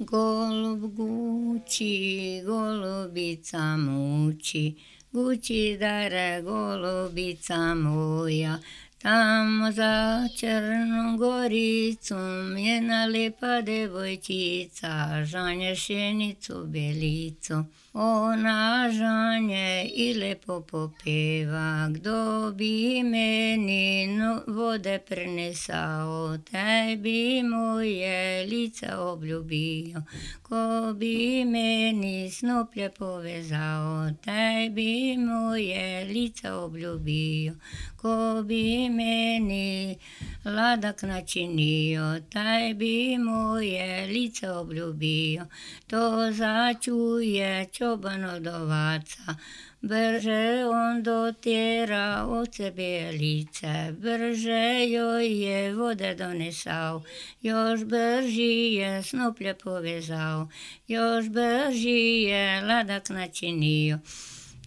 Golub Guci, golubica muči, Guci dare golubica moja, tamo za Crnom Goricom jedna lijepa devojčica, žanje šenicu belicu. Ona žanje i lepo popeva, kdo bi meni vode prinesao, taj bi moje lice obljubio. Ko bi meni snoplje povezao, taj bi moje lice obljubio. Ko bi meni ladak načinio, taj bi moje lice obljubio. To začuje čoban od ovaca, brže on dotjera ovce bijelice, brže joj je vode donesao, još brži je snoplje povezao, još brži je ladak načinio.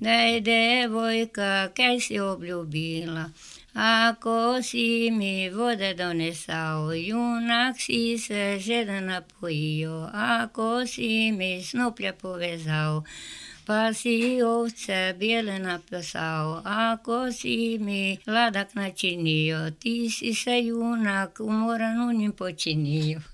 Daj devojka, kaj si obljubila, ako si mi vode donesao, junak si se žedan napojio, ako si mi snoplje povezao, pa si ovce bijele napasao, ako si mi ladak načinio, ti si se junak umoran u njim počinio.